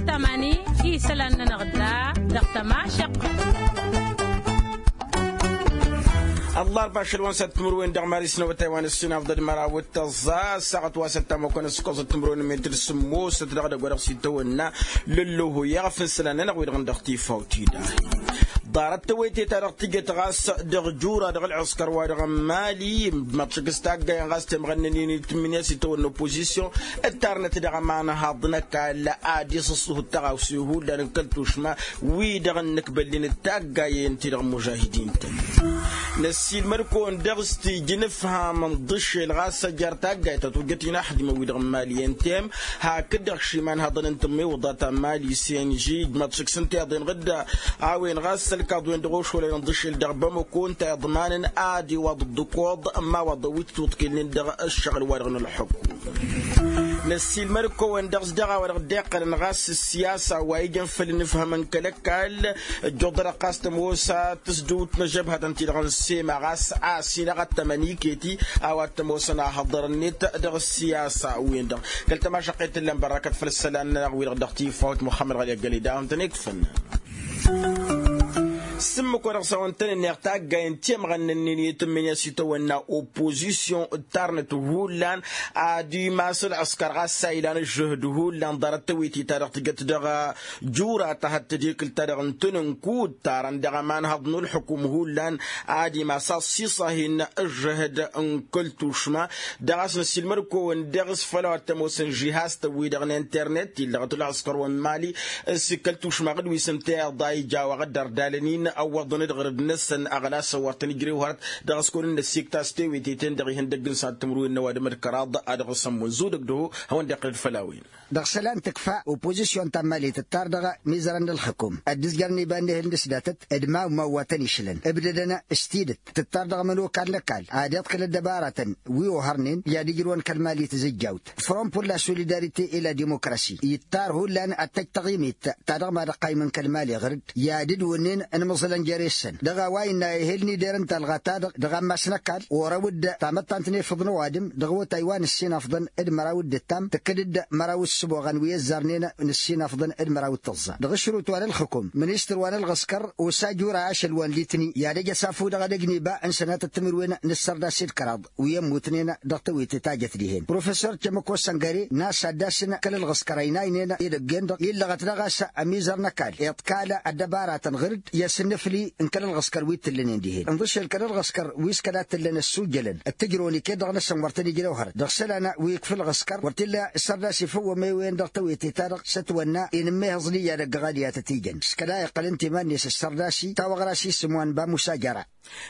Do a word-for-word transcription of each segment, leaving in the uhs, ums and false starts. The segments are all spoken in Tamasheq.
Tămani isălan-nănăɣ da dăɣ-tămašăq. Ăllarba ašăl wa n-săt timǝrwen dăɣ-mari s-năwătay wa n-ǝssin afḍăd măraw d-tăẓẓa ăssaɣăt wa săt tamăkăn s-kăẓăt timǝrwen n-metǝr sǝmmosăt dăɣ-edăgg wa dăɣ-s itawănna lălloho i-aɣăf n-isălan-nănăɣ wi-dăɣ n-dăɣ-tifawt-i-da. Ḍarăt tewăyte-ta-dăɣ tǝjjăt ɣas dăɣ-jura dăɣ-ălɣǝskăr-wa-dăɣ n-mali d-măḍšăk s-taggayen ɣas temɣănnăn-in tǝmmǝnǝya s-itawănna opozisyon ǝttarnăt dăɣ-ămanhaḍ n-ăkall ad-iṣǝṣṣuhǝd tăɣawse hullan n-kăl-tušma wi-dăɣ ǝnnǝkbăllen d-taggayen-ti-dăɣ n-mužahidin-tăn. Năssiilmăd-kăwăn dăɣ-s tijǝn ǝfham n-iḍǝššel ɣas ăjjar taggayt ta tojjăt-in aḥdimăn-wi-dăɣ n-mali n-tem hakd-dăɣ šimanhaḍăn n-tǝmmewǝḍa ta n-mali s-enži d-măḍšǝk s-ǝnta i-iḍen ɣǝdda a-wen ɣas ălkaḍ-wen-dăɣ ošolăyăn ǝḍǝššel dăɣ-bamăko ǝnta iḍmanăn ad-iwaḍ dd-ǝkoḍ n-imawaḍăn wi t-tuṭkǝlnen dăɣ-ǝššăɣǝl-wa-dăɣ n-ălxukum. Năssiilmăd-kăwăn dăɣ-s dăɣ-a-wa-dăɣ dd-iqqălăn ɣas s-siyasa wa ijăn făll-inǝfhămăn kăl-ăkall ăjjuḍărăɣ ɣas tămoos a tǝsdǝwt n-ăžžăbhătăn-ti-dăɣ n-sema ɣas a-s inăɣ ad-tămăn iket-i a-wa t-ămoosăn ahăḍăr-net dăɣ-ăssiyasa-wen-dăɣ. Kăl-tămašăqqet tǝllăn bărrakăt făll-isălan-nănăɣ wi-dăɣ dăɣ-tifawt muxămmăd ɣali ăggăled a hawăn-tăn-ikfăn. S-ǝmmǝk wa dăɣ-s a-wen-tăn-ǝnneɣ taggayen temɣănnăn-in i-tǝmmǝnǝya s-itawănna opozisyon ǝttarnăt hullan ad-imas ălɣǝskăr ɣas a ilan ǝžžǝhǝd hullan ḍarăt tawete-ta-dăɣ tǝjăt dăɣ-jura ta hăt tedhekǝlt-ta-dăɣ n-tăn-ǝnkud tarăn dăɣ-ămanhăḍ n-ǝlxǝkum hullan ad-imas assiṣahin ǝžžǝhǝd n-kăl-tušma dăɣ-a-s năssiilmăd-kăwăn dăɣ-s făll-a-wa t-ămoosăn žihaz-tăn-wi-dăɣ n-internet illăɣăt ălɣǝskăr wa n-mali s-kăl-tušma ɣǝd wi s-ǝnta iḍa ija a-wa ɣǝddăr dalăn-in ăwwăḍăn d-ɣărăd-năsăn ăɣlas ăwwăr tăn-ijrew hărăt dăɣ-s kăwăn-in-năssikt a-s tewete-ten-dăɣ ihăndăgg n-săhat timǝrwen n-ăwadǝm d-kăraḍ a dăɣ-s ămmun zudăg dăho hawăn-dd-iqqǝlăd făll-a-wen. Dăɣ-isălan tǝkfa opozisyon ta n-mali tǝttar dăɣ-mizărăn n-ălxǝkum ăddǝzjărăn iba n-ehǝl n-ǝsdatăt d-mawmaw wa tăn-išlăn ǝbdădăn s-tidǝt tǝttar dăɣ-imănokan n-ăkall ad-iḍkǝl ăddăbaratăn wi ohărnen i-ad-ijrǝwăn kăl-mali tǝzǝjjawt. Front pour la solidarité et la démocratie ittar hullan ad-tăj taɣimit ta dăɣ-ma dăɣ-qayǝm n-kăl-mali ɣǝr-dd i-ad-dd-wǝnnen ănmăẓǝlăn jere-săn dăɣ-a-wa innă ehel n-ider n-talɣa-ta-dăɣ dăɣ-ammas n-ăkall orăw-dd tamăttant n-efăḍ n-ăwadǝm dăɣ-awătay wa nǝssinafḍăn d-măraw d-ǝttam tǝkkǝd-dd măraw d-sǝboɣăn wi ăzzarnen nǝssinafḍăn d-măraw d-tăẓẓa dăɣ-ašrut wa n-ălxǝkum ministăr wa n-ălɣǝskăr osa jura ašăl wa n-litni i-ad-ăj ăsafu dăɣ-edăgg n-iba n-sănatăt timǝrwen n-ǝssărda s-ed kăraḍ wi ămmutnen dăɣ-tewete ta jăt dihen profesor cămăko săngăre n-a-s ad-dd-asǝn kăl-ălɣǝskăr ăynaynen edăgg-en-dăɣ illăɣăt daɣ a-s ămizăr n-ăkall iḍkal ăddăbaratăn ɣǝr-dd i-asǝnnǝfli n-kăl-ălɣǝskăr wi t-ǝllănen dihen ǝnḍǝšel kăl-ălɣǝskăr wi s-kăla t-ǝllăn ăssujjălăn d-tǝjrăwăn iket-dăɣ-năsăn wăr tăn-ijrew hărăt dăɣ-isălan wi ǝkf ǝlɣǝskăr wăr t-illa s-ărda s-ifǝwwăm i-wen dăɣ-tewete-ta-dăɣ s-ătwănna inǝmmehăẓ n-iyyăd ăgg-aɣaliyatăt ijăn s-kăla iqqăl ǝnta iman-net s-sărda-s i-tawăɣra-s isǝm wa n-bamusa jăra.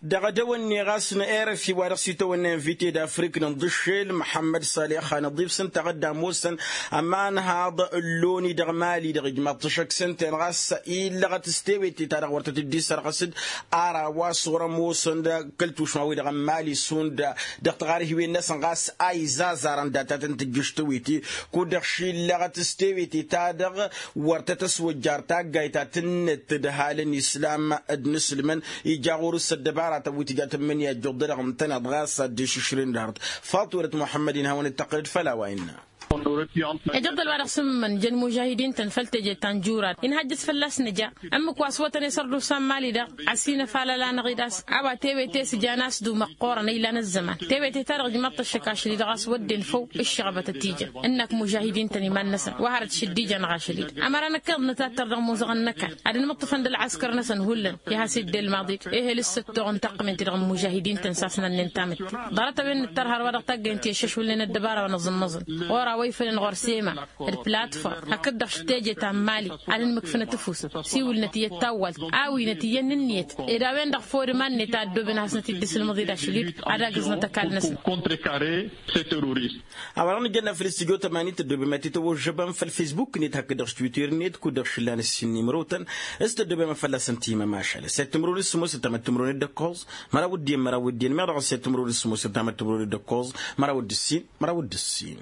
Dăɣ-edăwănneɣ a-s n-erăfi wa dăɣ-s itawănna invite d-afric n-inḍǝššel măḥămmăd saleh hanăḍif s-ǝnta ɣǝdda ămoosăn ămanhaḍ ǝlloni dăɣ-mali-dăɣ ijmaḍ-t ăššăk s-ǝnta-en ɣas illăɣăt s-tewete-ta-dăɣ wăr tăt-dd-isărɣǝs-dd ara wa s-wăr-ămoosăn d-kăl-tušma-wi-dăɣ n-mali šund dăɣ-tiɣarhiwen-năsăn ɣas a izazarăn data tăn-tǝjjǝš tewete kud-dăɣ šillăɣăt s-tewete-ta-dăɣ wăr tăt-ăswăjjar taggayt ta tǝnnǝt d-halăn islam d-inǝslǝmăn ija ɣur-s ăddăbaratăn wi tǝja tǝmmǝnǝya ăjjuḍ-dăɣ ǝntăneḍ ɣas ad-dd-išǝšrǝn d-hărăt. Faḍt wălăt muḥămmăd-in hawăn-dd-tăqqǝlăd făll-a-wa innă. Ejăḍăl wa dăɣ-s ǝmmǝmăn jăn mužahidin-tăn făll-teje ta n-jurad inhăjjăs fălla-s nǝja ǝmmǝk wa s-wătăn isărdusa n-mali-dăɣ ăsinăfalăl-anăɣ-dd a-s a-wa tewete s-jan a-s du-măqqoorăn ilan ăzzăman tewete-ta-dăɣ ǝjmaḍ-t ăššăk ašăl-i dăɣ-a-s wădden făw ǝššăɣbătăt ijăn ǝnnăk mužahidin-tăn iman-năsăn wa hărăt šǝddijan ɣašăl-dd ămăra năkk iḍnăt ad-tăr dăɣ-imuzăɣăn n-ăkall ad-inmǝṭṭǝfăn d-ălɣăskăr-năsăn hullan i-ad-has-iddel maḍi-dd ehel s-săttoɣ n-taqqǝment-dăɣ n-mužahidin-tăn s-asnănnen tamǝtte ḍarăt-a-wen nǝttărhăr wa dăɣ-taggaynt i-ăššăšwǝlnen ăddăbara wa n-aẓǝmmăẓăn ɣur-a-wa ifălăn ɣur-sema d-platform hakd-dăɣ s-teje ta n-mali ad-ǝnmǝkfǝnăt ǝfus siwǝlnăt iyyăt tawwalt awinăt iyyăn ǝnniyăt ed a-wen-dăɣ făw d-iman-net a ăddooben ad-hasnăt-dd-isǝlmǝḍ-ed ašăl-dd ad-agǝznăt ăkall-năsăn. A-wa-dăɣ nǝjănna făll-studyo tămanin tăddobem ad-t-tawăžžăbăm făll-facebook-net hakd-dăɣ s-twitter-net kud-dăɣ šǝllan ǝssin n-imrotăn s-tăddobem ad-fălla-săn timăm ašăl s-e-timrun d-sǝmmos ǝttamăt timrun d-ǝkkoẓ măraw d-iyyăn măraw d-iyyăn meɣ dăɣ-s i-timrun d-sǝmmos ǝttamăt timrun d-ǝkkoẓ măraw d-ǝssin măraw d-ǝssin.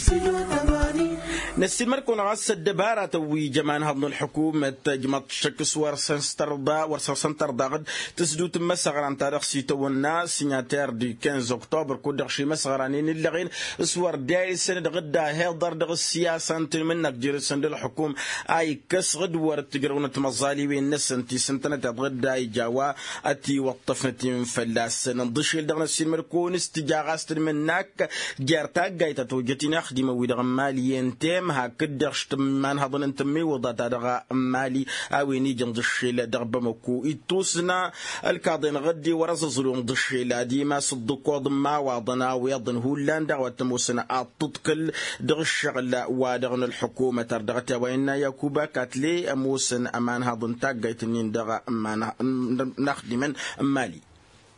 Studio tămanin. Năssiilmăd-kăwăn ɣas ăddăbaratăn wi jăman haḍăn ălḥukumăt ăjmăḍ šăkk s-wăr săn s-tărḍa wăr săn s-tărḍa ɣǝd tǝsdut n-imăsăɣran ta dăɣ-s itawănna sinyater di kinz oktobăr kud-dăɣ šimăsăɣran-in ǝllăɣen s-wăr dayǝsăn dăɣ-dd-ahiḍăr dăɣ-s siyasa n-tǝnmǝnnak jer-săn d-ălḥukum a ikkăs ɣǝd wăr t-ǝjrăwnăt timăẓaliwen-năsăn ti s-ǝntănăteḍ ɣǝd a ija a-wa ătiwăṭṭăfnăt-in fălla-săn ǝnḍǝšel dăɣ-năssiilmăd-kăwăn s-tǝja ɣas tǝnmǝnnak jer-taggayt ta tojjăt inaxdimăn-wi-dăɣ n-imali i-ăntem hakd-dăɣ š-tǝmmanhăḍăn n-tǝmmiwǝḍa ta dăɣ-imali a-wen ija ǝnḍǝšel dăɣ-bamăko ittusna ălkaḍen ɣǝdde wăr-ăẓẓăẓlu ǝnḍǝšel ad-imas ǝḍḍǝkoḍ n-imawaḍăn a-wa iḍăn hullan daɣ wa t-ămoosăn ad-tǝḍkǝl dăɣ-ǝššăɣǝl wa dăɣ-nălḥukumăt ar dăɣ-t i-a-wa innă yakuba katle ămoosăn ămanhăḍ n-taggayt-nin dăɣ-ămanhăḍ n-inaxdimăn n-imali.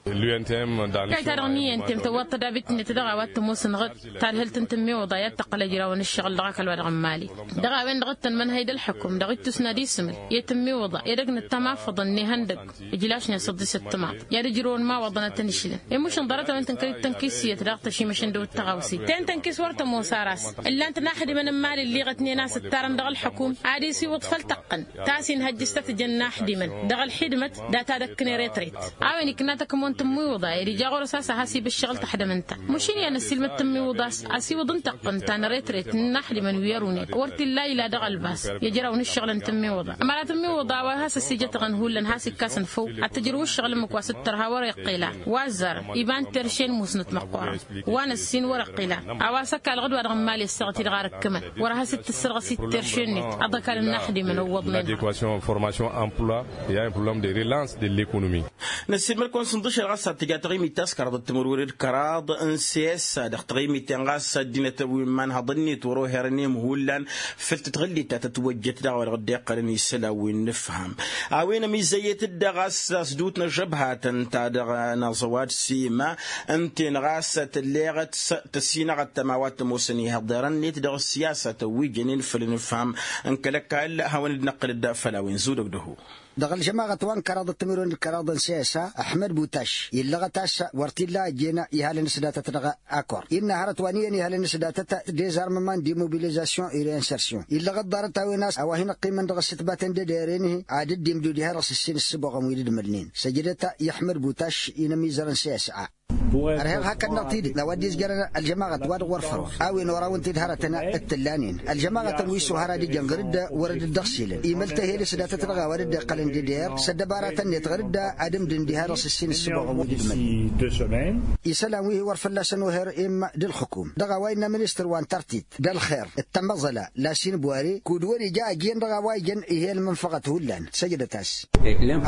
Kayt-ta-dăɣ n-i n-temtăwwaḍ tădabit-net dăɣ-a-wa t-ămoosăn ɣǝd tadhǝlt n-tǝmmiwǝḍa i-ad-tăqqăl ăjrawăn ǝššăɣǝl dăɣ-ăkall wa dăɣ-n mali. Dăɣ-a-wen-dăɣ d-tăn mănhăy d-ălḥăkum dăɣ-ittus n-ad-isǝmǝl i-tǝmmiwǝḍa edăgg n-ăttămafăḍăn n-ehăndăg ǝjlašnen s-ăḍḍisăt timaḍ i-ad-ǝjrǝwăn imawaḍăn ad-tăn-išlăn. Emušăn ḍarăt-a-wen tǝnkăl-dd tănkis iyyăt daɣ tăšimăšăn d-ewăt tăɣawse ten tănkis wăr tămoos ar a-s ǝllan-t inaxdimăn n-imali ǝlliɣătnen a-s ǝttarăn dăɣ-ălḥăkum ad-isiwǝḍ făll-tăqqăn ta s-inhăjjǝs ta tǝjăn inaxdimăn dăɣ-ălxidmăt data d-ăkkǝn eretret. A-wen ikna takǝmon tǝmmiwǝḍa ed ija ɣur-s a-s ad-has-ibǝššăɣǝl taxdămăn-ta. Măšin i-ad-năssiilmăd tǝmmiwǝḍa a-s asiwǝḍ n-tăqqăn ta n-eretret n-inaxdimăn wi ărunen wăr t-illa ila dăɣ-ălbas i-ăjraw n-ǝššăɣǝl n-tǝmmiwǝḍa ămăra tǝmmiwǝḍa a-wa has-ăssijătăɣăn hullan has-ikkas n-făw ad-t-ǝjrǝw ǝššăɣǝl ǝmmǝk wa s-dd-tărha wăr-iqqel a wa ăzzarăn iba n-terše n-musnăt măqqoorăn wa n-ăssin wăr-iqqel a a-wa s-ăkall ɣǝd-wa-dăɣ n-imali ăssaɣăt-i-dăɣ ar ǝkkǝmăn wăr has-dd-tǝssărɣăs-i d-terše-net. Ăḍăkal n-inaxdimăn ăwwăḍnen. Adéquation formation emploi i-a un problème de relance de l'économie. Năssiilmăd-kăwăn s-ǝnḍǝšel ɣas ad-tǝja taɣimit ta s-kăraḍăt timǝrwen d-kăraḍ n-sesa dăɣ-taɣimit-en ɣas ăddinăt wi n-imanhăḍ-net wăr-oherăn i-imhullan făll-tǝtɣǝllit ta tătwăjjăt daɣ wa dăɣ-dd-iqqălăn isălan wi n-inǝfham. A-wen ămizăyyăt-dd ɣas asdut n-ažăbhatăn ta dăɣ-naẓăwad sima ǝnta-en ɣas tǝlleɣăt tăsinăɣăt tămawa t-ămoosăn ihăḍerăn-net dăɣ-ăssiyasatăn wi jănen făll-inǝfham n-kăl-ăkall. Hawăn-dd-năqqǝlăd făll-a-wen zudăg dăhu. Dăɣ-ălžămaɣăt wa n-kăraḍăt timǝrwen d-kăraḍ n-sesa ăḥmăd butaš illăɣăt a-s wăr t-illa ăjjeen ihalăn s-datăt dăɣ-akor innă hărăt wa n-iyyăn ihalăn s-datăt dezarmăman demobilizasyon i-reinsersion illăɣăt ḍarăt-a-wen a-s a-wa hin-ăqqimăn dăɣ-ăssǝtbatăn d-edăyăren-hi ad-dd-imdud ihăr dăɣ-s ǝssin ǝssǝboɣăn wi d-ǝdmǝlnen săjdăt i-ăḥmăd butaš i-inămizăr n-sesa. Ărheɣ hakd-năɣ tidǝt a-wa dd-izjărăn ălžămaɣăt wa dăɣ-wăr fărăwăn a-wen oraw ǝnta-dd hărătăn d-tǝllanen ălžămaɣătăn wi s-ohăr ad-ǝjăn ɣǝr-dd wăr dd-ăɣsilăn imăl tăhel s-datăt dăɣ-a-wa dd-iqqălăn d-eder s-ăddăbaratăn-net ɣǝr-dd ad-ǝmdǝn diha dăɣ-s ǝssin ǝssǝboɣăn wi d-ǝdmălnen. Isălan wi hi-wăr fălla-săn oher immă d-ǝlxǝkum dăɣ-a-wa innă ministăr wa n-tărtit d-ălxer d-tamăẓăla lasin bware kud-wăr-ija ăjjeen dăɣ-a-wa ijăn ih'-e ălmănfăɣăt hullan săjdăt-as.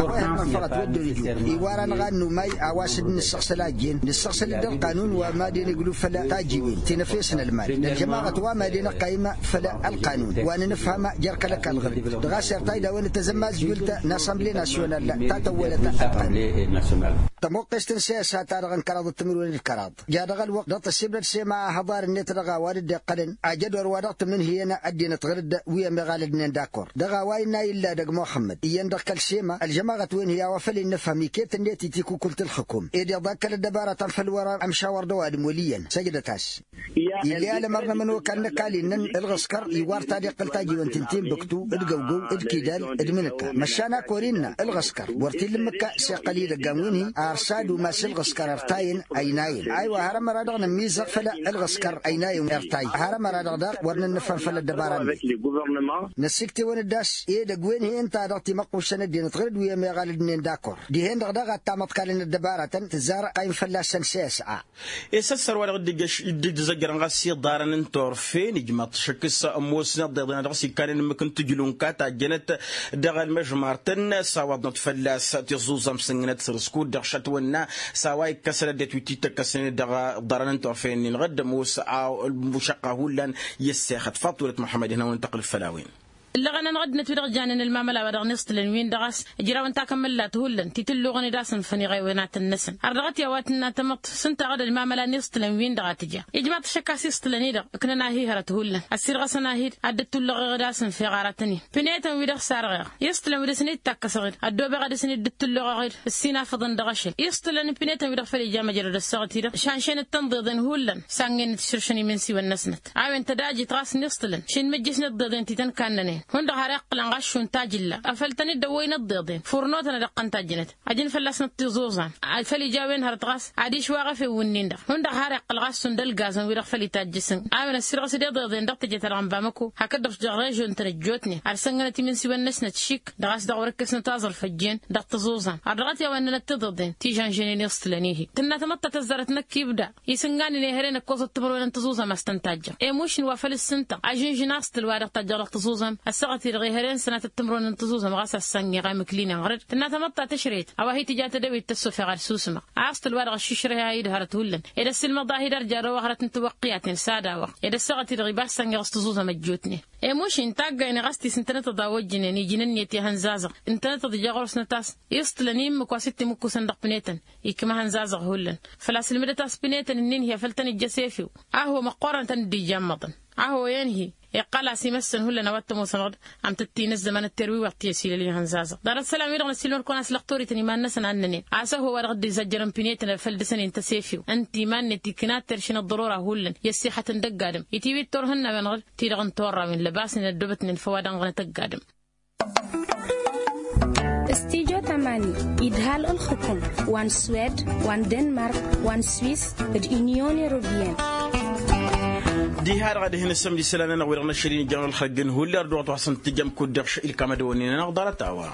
A-wa ih'-e ălmănfăɣăt wăr dd-ărijun iwar-anăɣ a n-numay a-wa s-dd-nǝssăɣsăl a ăjjeen nǝssăɣsăl-dd ălqanun wa madăn iglu făll-tajjiwen ti n-efes n-ălmal n-ălžămaɣăt wa madăn ăqqayǝm făll-ălqanun wa n-inǝfham jer-kăl-ăkall ɣǝr-dd dăɣ-a-s irtay d-a-wen ǝttăzămmazjult n-assemble nasyonal ta tăwwălăt ălqanun. Tămoqqest n-sesa-ta-dăɣ n-kăraḍ d-timǝrwen d-kăraḍ ja dăɣ-ălwăqq dăɣ-tăssibdăd sema ahăḍar-net dăɣ-a-wa dd-iqqălăn ajădor wa dăɣ-tǝmǝnhǝyăn ăddinăt ɣǝr-dd wi ămiɣalădnen d-akor dăɣ-a-wa innă a illă edăgg muxămmăd iyyăn dăɣ-kăl-sema ălžămaɣăt wen hi-a-wa făl innǝfhăm iket-net i-tikukult ǝlxǝkum ed iḍa kăl-ăddăbaratăn făll-wăr-ămšawăr d-ăwadǝm wăl' iyyăn săjdăt-as. Ill'-e alămăr n-ămănokal n-ăkall-innăn ǝlɣǝskăr iwar ta dd-iqqǝl tajǝwăn ti n-tinbǝktu d-găwgăw d-kidal d-imǝnǝka măšan a kor-innă ǝlɣǝskăr wăr t-illa ǝmmǝk a s-iqqăl idăggan wi n-hi ar s-ad-umas ǝlɣǝskăr irtayăn ăynayăn aywa har ămăra-dăɣ nǝmmizăɣ făll-ǝlɣǝskăr ăynayăn irtay har ămăra-dăɣ daɣ wăr nǝnnǝfhăm făll-ăddăbara-net. Năssiktewăn-dd a-s edăgg wen-hi ǝnta-dăɣ timăqquššăn ăddinăt ɣǝr-dd wi ămiɣalădnen d-akor dihen-dăɣ daɣ ad-tamăḍkalăn ăddăbaratăn tǝzzar ăqqayǝm fălla-săn s-s-a. Esăssăr wa dăɣ-dd-ijjăš dd-ijjăzăjjărăn ɣas iḍarăn n-turfen ijmaḍ-t šăkk s-ămoosnăt d-iḍen a dăɣ-s ikkanen ǝmmǝk n-tǝjlu n-kata ăjjănăt dăɣ-ălmăžmart-tăn s-awăḍnăt fălla-s tiẓuẓam s-ǝnnǝnăt săr-s kud-dăɣ šătwănna s-a-wa ikkăsăn ăddinăt wi t-dd-tăkkăsnen dăɣ-iḍarăn n-turfen-nin ɣǝdd ămoos a mušăqqa hullan i-ăssexăt faḍt wălăt muḥămmăd ihna wăn n-tăqqǝlăt făll-a-wen. Ǝllăɣăn-anăɣ ăddinăt wi-dăɣ janen ălmamăla wa dăɣ-niẓtǝlăn-win-dăɣ a-s ǝjrawăn takămăllat hullan ti tǝlluɣăn-dd asǝnfăn iɣewenat-năsăn har dăɣ-t i-a-wa tǝnna tamăḍt s-ǝnta a-ɣ-dd ălmamăla n-iẓtǝlăn-win-dăɣ a tǝja. Ijmaḍ-t ašăk a-s iẓtǝlăn-i-dăɣ ǝknăn ahihărăt hullan ăssirɣăsăn-ahi ad-dd-tulluɣeɣ-dd asǝnfeɣ aratăn-in pinetăn-wi-dăɣ sarɣeɣ iẓtǝlăn wi dăɣ-săn dd-takkăsăɣ-dd ăddoobeɣ ad-dăɣ-săn dd-tulluɣeɣ-dd. Ǝssin afǝḍăn dăɣ-ašăl iẓtǝlăn n-pinetăn-wi-dăɣ făl ija măjrăd ăssaɣăt-i-dăɣ šanšenăt-tăn ḍeḍen hullan. Sannăynet šǝršăn imǝnsiwăn-năsnăt a-wen tădajit ɣas n-iẓtǝlăn šin mǝjjǝsnăt ḍeḍen ti tăn-kannănen hundăɣ har iqqălăn ɣas šund tajǝlla afăl tăn-dd-ăwwăynăt ḍeḍen furnotăn ad-ăqqăn tajjǝnăt. Ajǝn fălla-snăt tiẓuẓan făl ija a-wen hărăt ɣas adiš wa ɣăfew wǝnnin-dăɣ hundăɣ har iqqăl ɣas šund ălgazăn-wi-dăɣ făl itajjǝsăn a-wen ăssirɣăs-dd iḍeḍen dăɣ-teje-ta-dăɣ n-bamăko hakd-dăɣ dăɣ-režion-tăn ăjjootnen ad-sănnănăt imǝnsiwăn-năsnăt šik dăɣ-a-s dăɣ-wăr-ǝkkesnăt aẓrǝf ăjjeen. Dăɣ-tiẓuẓan ar dăɣ-t i-a-wa ǝnnănăt tiḍeḍen ti žănžănen iẓtǝlăn-i-hi tǝnna tamăḍt ta tăzzarăt năkk ibda isǝnganen i-hărăn ǝkkoẓăt timǝrwen n-tiẓuẓam a-s tăn-tajjăɣ. Emušǝn wa făl ǝssǝntăɣ ažǝnžǝn aẓtǝl wa dăɣ-tajjăɣ dăɣ-tiẓuẓam ăssaɣăt-i-dăɣ i-hărăn sănatăt timǝrwen n-tiẓuẓam ɣas a-s sănniɣ a imǝklinen ɣăr-dd tǝnna tamăḍt ta tǝšrăyăt a-wa hi-tǝja tădăwit tăssofeɣ ad-susǝmăɣ. Aẓtǝl wa dăɣ-ăššišrăy a idhărăt hullan ed ăssiilmăḍ a hi-dd-ărja dăɣ-ăwăɣrăt n-tiwăqqiyaten s-ad-awăɣ ed ăssaɣăt-i-dăɣ iba a-s sănniɣ s-tiẓuẓam ăjjootnen. Emušǝn taggaynen ɣas ti s-ǝntănăt ăḍa ojjǝnen ijǝn ǝnniyăt i-ihănzazăɣ ǝntănăt ăḍja ɣur-s năt-a-s iẓtǝlăn i-ǝmmǝk wa s-dd-timǝkkusăn dăɣ-pinetăn. Ikma ihănzazăɣ hullan făl-a-s ǝlmǝdăt a-s pinetăn-ǝnnin-hi a făl tănǝjjăs efew. Aho măqqoorăn tăn-dd-ijjammăḍăn aho i-ănhi iqqăl-as imăssăn hullan a-wa t-ămoosănăɣ-dd. Am tăt-tinǝzzăm a nǝtterwiwăɣ ti ăsilăl i-ihănzazăɣ ḍarăt isălan-wi-dăɣ năssiilmăr-kăwăn a-s lăxtorităn iman-năsăn a ǝnnănen a-s ăho wa dăɣ-dd-izajjărăn pinetăn a făl dăr-săn-in tăsefiw ǝnta iman-net ikna terš n-ăḍḍărora hullan i-ăssixătăn dăgg-adǝm itiwit turhǝnnawen ɣǝr-dd ti-dăɣ n-turrawen lăbasnen ăddoobătnen făw-wa-dăɣ n-ănɣănăt ăgg-adǝm. Stijo tamani idhal ǝlxǝkǝm wa n-swed wa n-denmark wa n-swis d-inyon europeyăn. Diha-dăɣ ad-hin-ǝssǝmd isălan-nănăɣ wi-dăɣ năššăl-in ijjănăɣ ǝlxălgăn hulli ărdăɣăt wa s-ǝntǝjăm kud-dăɣ šăy ǝlkam ad-ăwănnen-anăɣ ḍarăt-a-wa.